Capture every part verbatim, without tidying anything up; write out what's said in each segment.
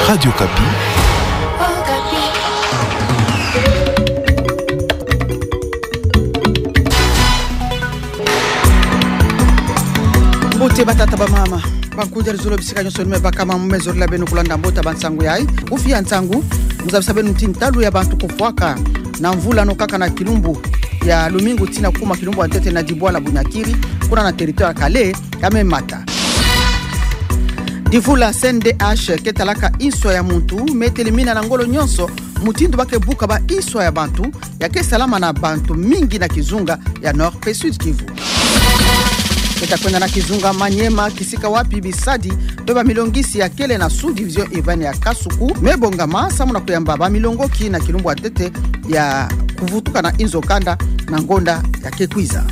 Radio Okapi. Mbote batata, bamama, bankundi ya luzolo bisika nyonso ni me bakama, mu me zola beno kulanda mbote ya bansangu yayi. Kufi ya nsangu, mu zabisa beno ti ntalu ya bantu kufwaka na mvula no kaka na kilumbu ya lumingu tii na kukuma kilumbu ya ntete na dibwala Bunyakiri, kuna na territoire ya Kale, ya me mata. Divula C N D H ke talaka inswa ya muntu, me telimina na ngolo nyonso mutindu ba ke bukaba inswa ya bantu, ya ke salama na bantu mingi na kizunga ya Nord pe Sud Kivu. Ke ta kwenda na kizunga Maniema, kisika wapi bisadi pe bamilongisi ya kele na sous-division urbaine ya Kasuku me bongama, samu na kuyamba bamilongoki na kilumbu ya ntete ya kuvutuka na inzo kanda na ngonda ya ke kwiza.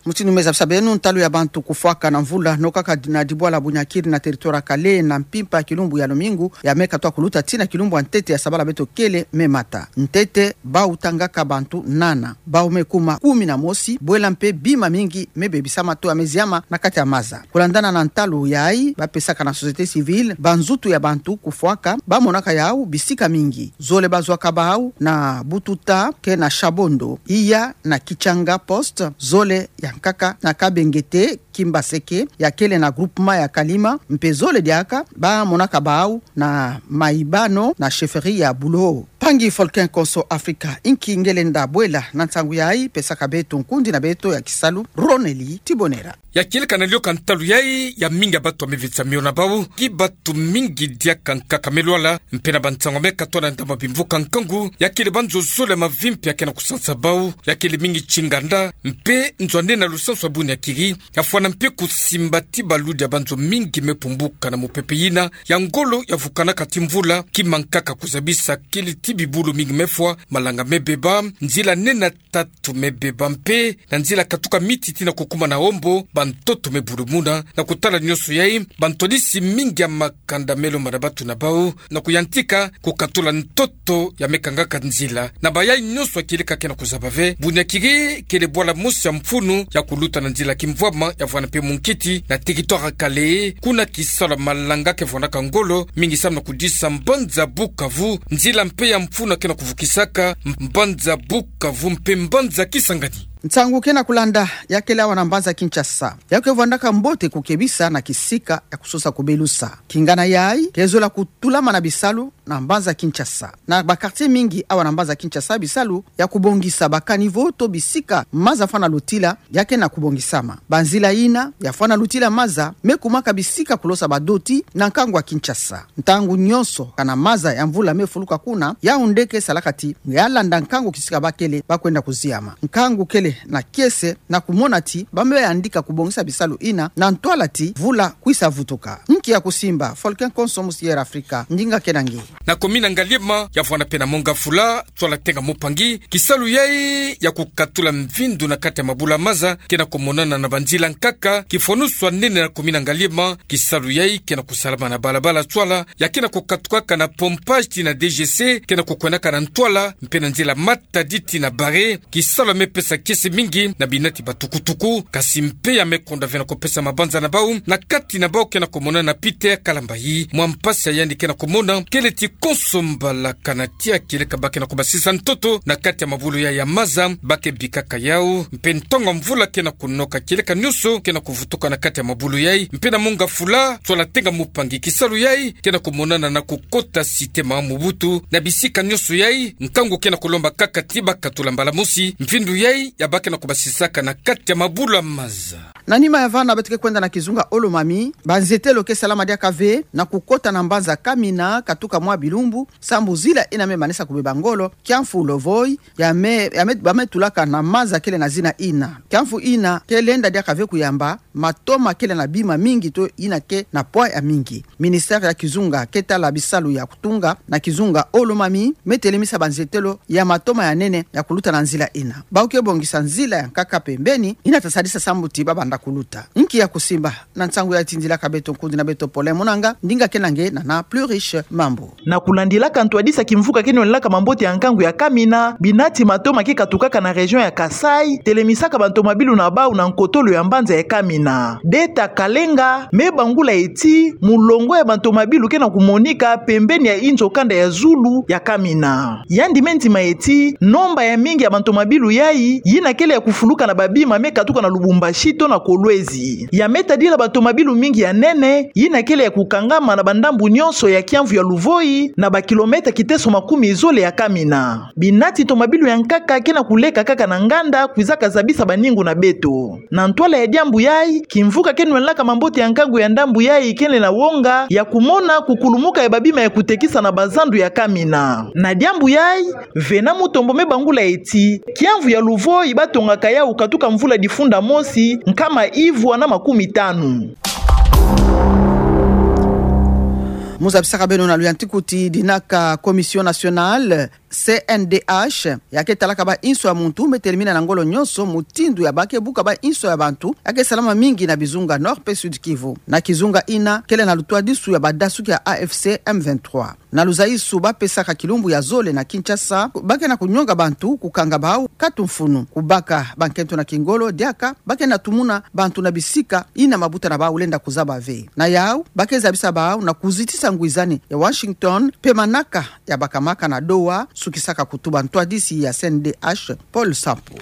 Mutindu me zabisa beno, ntalu ya bantu kufwaka na mvula no kaka na dibwala Bunyakiri na territoire ya Kale na mpimpa ya kilumbu ya lumingu ya me katuka kuluta tii na kilumbu ya ntete ya sabala beto kele me mata. Ntete, bau tangaka bantu nana, bau me kuma kumi na mosi, bwela mpe bima mingi me bebisama to ya me ziama na kati ya maza. Kulandana na ntalu yayi ba pesaka na société civile, banzutu ya bantu kufwaka ba monaka yau bisika mingi. Zole ba zwaka bau na Bututa ke na Shabondo, iya na Kichanga Poste, zole ya nkaka na Kabengete Kimbaseke ya kele na groupement ya Kalima, mpe zole diaka ba monaka bau na Maibano na chefferie ya Bulo. Mpangi Folkin Konso Afrika, inki nge lenda bwela na nsangu yayi, pesaka beto nkundi na beto ya kisalu, Roneli Tibonera. Ya kieleka na lioka ntalu yayi, ya mingi ya bantu ya me visa mio na bau, ki bantu mingi diaka nkaka me lwala, mpe na bansangu ya me katola ndama bimvuka nkangu, ya kele banzo zole ya mavimpi ya ke na kusansa bau, ya kele mingi tinganda, mpe nzo ya nene na lusansu ya Bunyakiri, ya fwana mpe kusimba ti baludi ya banzo mingi me pumbuka na mupepe yina ya ngolo ya vukanaka ti mvula, ki mankaka kuzabisa kele ti bibulu mingi me fwa, malanga me beba, nzila nene tatu me beba mpe, na nzila katuka Miti tii na kukuma na Ombo, bantoto me bulumuna. Na kutala nyonso yayi, bantwadisi mingi ya makanda me lomba na bantu na bau, na kuyantika kukatula ntoto ya me kangaka nzila. Na bayayi nyonso ya kieleka ke na kuzaba ve, Bunyakiri kele bwala mosi ya mfunu ya kuluta na nzila kimvwama ya vwanda mpe munkiti na territoire ya Kale, kuna kisalu ya malanga ke vwandaka ngolo mingi samu na kudisa mbanza Bukavu, nzila mpe ya mfunu ya ke na kuvukisaka mbanza Bukavu mpe mbanza Kisangani. Nsangu ke na kulanda ya kele awa na mbanza Kinshasa. Ya ke vwandaka mbote kukebisa na kisika ya kusosa kubelusa. Kingana yayi, ke zola kutulama na bisalu na mbanza Kinshasa. Na ba quartier mingi awa na mbanza Kinshasa, bisalu ya kubongisa ba caniveau to bisika maza fwana lutila ya ke na kubongisama. Banzila yina ya fwana lutila maza me kumaka bisika kulosa badoti na nkangu ya Kinshasa. Ntangu nyonso kana maza ya mvula me fuluka kuna, yau nde ke salaka ti ya landa nkangu kisika ba kele ba kwenda kuziama. Nkangu kele na kiese na kumona ti ba me yandika kubongisa bisalu yina na ntwala ti mvula kwisa vutuka. Nki ya kusimba, Folkin Konso, musi Air Afrika, ndinga ke na nge. Na commune ya Ngaliema, ya vwanda mpe na Mont Ngafula, nswala Tenga Mupangi, kisalu yayi ya kukatula mvindu na kati ya mabulu ya maza ke na kumonana na banzila nkaka, kifwanusu ya nene na commune ya Ngaliema. Kisalu yayi ke na kusalama na balabala nswala ya ke na kukatukaka na Pompage tii na D G C, ke na kukwendaka na ntwala, mpe na nzila Matadi tii na Barré. Kisalu ya me pesa kiese mingi na binati batukutuku, kasi mpe ya me konda ve na kupesa mabanza na bau, na kati na bau ke na kumonana Peter Kalambayi. Mwa mpasi ya yandi ke na kumona kele ti konso mbala kana tia kieleka ba ke na kubasisa ntoto na kati ya mabulu yayi ya maza, ba ke bikaka yau, mpe ntangu ya mvula ke na kunoka kieleka nyonso ke na kuvutuka na kati ya mabulu yayi, mpe na Mont Ngafula, nswala Tenga Mupangi, kisalu yayi ke na kumonana na kukota cité Mama Mobutu. Na bisika nyonso yayi, nkangu ke na kulomba kaka ti ba katula mbala mosi mvindu yayi ya ba ke na kubasisaka na kati ya mabulu ya maza. Na nima ya vana, beto ke kwenda na kizunga Haut-Lomami, banzetelo ke salama diaka ve na kukota na mbanza Kamina, katuka mwa bilumbu sambu zila yina me manisa kubeba ngolo, kiamfu Lovoi, ya me, ya me, ba me tulaka na maza kele na zina yina. Kiamfu yina ke lenda diaka ve kuyamba matoma kele na bima mingi to yina ke na poids ya mingi. Ministère ya kizunga ke tala bisalu ya kutunga na kizunga Haut-Lomami me telemisa banzetelo ya matoma ya nene ya kuluta na nzila yina. Bau ke bongisa nzila ya nkaka pembeni, yina ta sadisa sambu ti ba banda kuluta. Nki ya kusimba na nsangu ya tindilaka beto nkundi na beto Paulin Munanga, ndinga kena nge na na Plus Riche Mambu. Na kulandilaka ntwadisi ya kimvuka keno lelaka mambote ya nkangu ya Kamina, binati matoma ke katukaka na région ya Kasaï telemisaka bantomabilu na bau na nkotolo ya mbanza ya Kamina. Deta Kalenga me bangula eti mulongo ya bantomabilu kena kumonika pembeni ya inzo kanda ya zulu ya Kamina. Yandi me ndima eti nomba ya mingi ya bantomabilu yai yina kele ya kufuluka na babima me katuka na Lubumbashi to na Kolwezi. Ya me tadila bantomabilu mingi ya nene yina kele ya kukangama na bandambu nyonso ya kiamvu ya Luvoi na bakilomètre kiteso makumi zole ya Kamina. Binati tomabilu ya nkaka kena kuleka kaka na nganda kwizaka zabisa baningu na beto. Na ntwala ya diambu yai, kimvuka keno lelaka mambote ya nkangu ya ndambu yai kele na wonga ya kumona kukulumuka ya babima ya kutekisa na bazandu ya Kamina. Na diambu yai, Vena Mutombo me bangula eti kiamvu ya Luvoi batongaka yau katuka mvula difunda mosi nkama ivwa na makumi tanu. Mu zabisaka beno na luyantiku ti dinaka Commission Nationale, C N D H, ya ke talaka bainso ya muntu me telimina na ngolo nyonso mutindu ya ba ke buka bainso ya bantu ya ke salama mingi na bizunga Nord pe Sud Kivu. Na kizunga ina kele na lutwadisu ya badasuki ya A F C M vingt-trois. Na luzayisu ba pesaka kilumbu ya zole na Kinshasa, ba ke na kunyonga bantu, kukanga bau, katu mfunu, kubaka bankento na kingolo, diaka ba ke na tumuna bantu na bisika ina mabuta na bau lenda kuzaba ve. Na yau, ba ke zabisa bau na kuzitisa ngwizani ya Washington pe manaka ya bakamaka na Doha, sukisaka kutuba ntwadisi ya C N D H, Paul Sampu.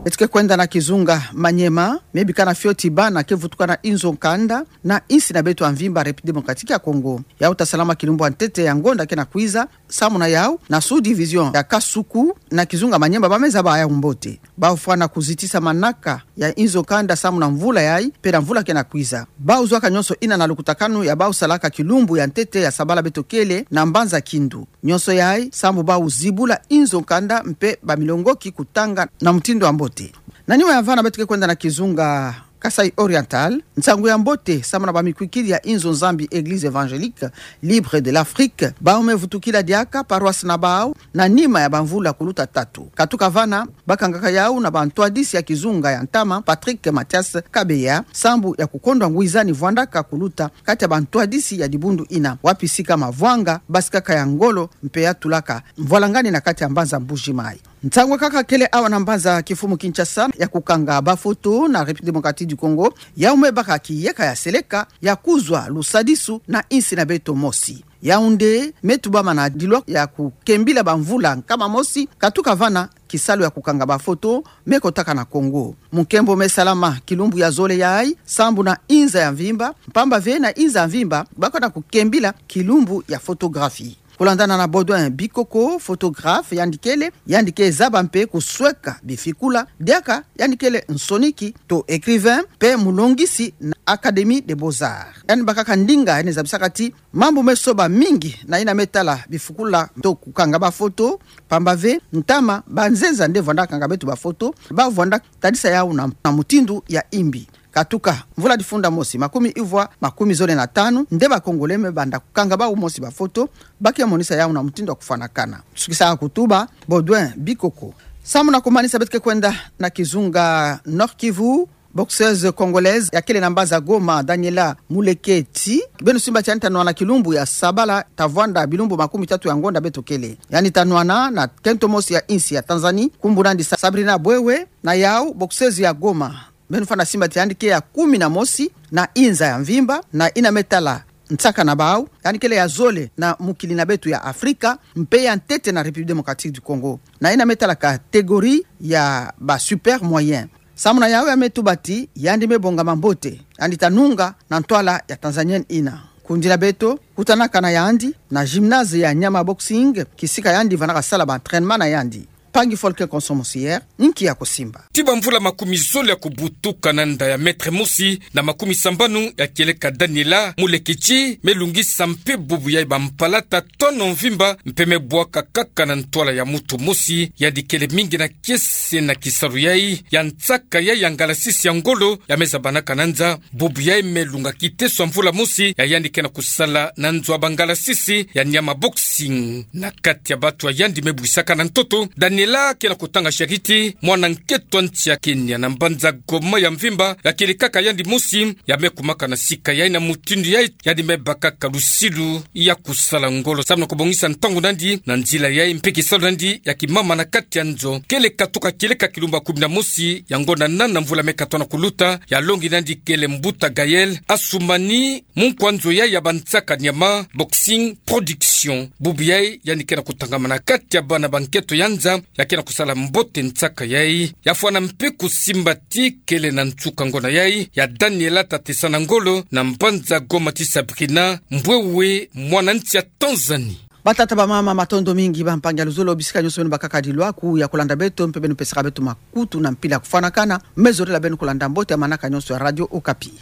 Beto ke kwenda na kizunga Maniema, me bika na fioti bana ke vutuka na inzo nkanda na insi na beto ya mvimba République Démocratique ya Congo. Yau ta salama kilumbu ya ntete ya ngonda kena kwiza, samu na yau na sous-division ya Kasuku na kizunga Maniema ba me zaba yau mbote. Bau fwana kuzitisa manaka ya inzo nkanda samu na mvula yai pe na mvula kena kwiza. Bau zwaka nyonso ina na lukutakanu ya bau salaka kilumbu ya ntete ya sabala beto kele na mbanza Kindu. Nyonso yai sambu bau zibula inzo nkanda mpe bamilongoki kutanga na mutindu ya mbote. Na nima ya vana beto ke kwenda na kizunga Kasaï Oriental, nsangu ya mbote samu na bamikwikidi ya inzo Nzambi, Église Évangélique Libre de l'Afrique, bau me vutukila diaka paroisse na bau na nima ya bamvula kuluta tatu. Katuka vana, bakangaka yau na bantwadisi ya kizunga ya ntama, Patrick Mathias Kabeya, sambu ya kukondwa ngwizani vwandaka kuluta kati ya bantwadisi ya dibundu ina, wapi sika mavwanga basikaka ya ngolo mpe ya tulaka mvwalangani na kati ya mbanza Mbuji Mayi. Nsangu kaka kele awa na mbanza kifumu Kinshasa ya kukanga bafoto na République Démocratique du Congo, yau me baka kiyeka ya seleka ya kuzwa lusadisu na insi na beto mosi. Yaoundé me tubama na dilwa ya kukembila bamvula nkama mosi, katuka vana kisalu ya kukanga bafoto me kotaka na Congo. Munkembo me salama kilumbu ya zole yai, sambu na inza ya mvimba, mpamba ve na inza ya mvimba ba ke na kukembila kilumbu ya photographie. Kulandana na Baudouin Bikoko, photographe yandi kele, yandi ke zaba mpe kusweka bifikula, diaka yandi kele nsoniki to écrivain, mpe mulongisi na Académie des Beaux-Arts. Yandi bakaka ndinga yandi zabisaka ti mambu me soba mingi na yina me tala bifikula to kukanga bafoto, mpamba ve ntama banzenza nde vwanda kanga beto bafoto, ba vwanda tadisa yau na, na mutindu ya imbi. Katuka mvula difunda mosi, makumi ivwa, makumi zole na tanu, nde ba Congolais me banda kukanga bau mosi bafoto, ba ke monisa yau na mutindu ya kufwanakana. Sukisa kutuba Baudouin Bikoko. Samu na kumanisa, beto ke kwenda na kizunga Nord-Kivu. Boxeuse congolaise ya kele na mbanza Goma, Daniela Muleketi, beno simba ti yandi ta nwana kilumbu ya sabala, ta vwanda bilumbu makumi tatu ya ngonda beto kele. Yandi ta nwana na kento mosi ya insi ya Tanzanie, nkumbu na yandi Sa-, Sabrina Bwewe. Na yau, boxeuse ya Goma, beno fwana simba ti yandi ke ya kumi na mosi na inza ya mvimba na yina me tala nsaka na bau, yandi kele ya zole na mokili na beto ya Afrika, mpe ya ntete na République Démocratique du Congo, na yina me tala catégorie ya ba super moyen. Samu na yau, ya me tuba ti yandi me bongama mbote, yandi ta nunga na ntwala ya Tanzanienne yina. Kundi na beto kutanaka na yandi na gymnase ya Nyama Boxing, kisika yandi vandaka sala ba entraînement na yandi. Mpangi Folke Konso Mosier, nki ya kusimba. Ti bamvula makumi zole ya kubutuka, na nda ya mètre mosi na makumi sambanu, ya kieleka Daniela Muleketi me lungisa mpe bubu yai bampalata tono mvimba, mpe me bwaka kaka na ntwala ya mutu mosi. Yandi kele mingi na kiese na kisalu yai ya nsaka yai ya ngalasisi ya ngolo ya me zabanaka na nza. Bubu yai me lunga kiteso ya mvula mosi ya yandi ke na kusala na nzo ya bangalasisi ya Nyama Boxing. Na kati ya batu ya yandi me bwisaka na ntoto, Daniela Laa ke na kutanga tiakiti, mwana nketo a nti ya Kenya na mbanza Goma ya mvimba, ya kele kaka yandi mosi, ya me kumaka na sika yayi na mutindu yayi, yandi me baka kaka lusilu ya kusala ngolo. Samu na kubongisa ntangu nandi, na nzila yayi mpe kisalu nandi, ya kimama na kati ya nzo. Kele katuka kieleka kilumbu ya kumi na mosi ya ngonda nana mvula me katoto na kuluta, ya longi nandi kele mbuta Gaël Assoumani, munkwa nzo yayi ya bansaka nyama, Boxing Production. Bubu yayi, yandi ke na kutangamana kati ya bana ba nketo ya nza, ya ke na kusala mbote nsaka yayi. Ya fwana mpe kusimba ti kele na nsuka ngonda yayi, ya Daniela Tatesana Ngolo, na mbanza Goma ti Sabrina Mbwewe, mwana nti ya Tanzanie. Batata, bamama, matondo mingi, bampangi ya luzolo, bisika nyonso beno bakaka dilwaku ya kulanda beto, mpe beno pesaka beto makutu na mpila ya kufwanakana, me zolila beno kulanda mbote ya manaka nyonso ya Radio Okapi.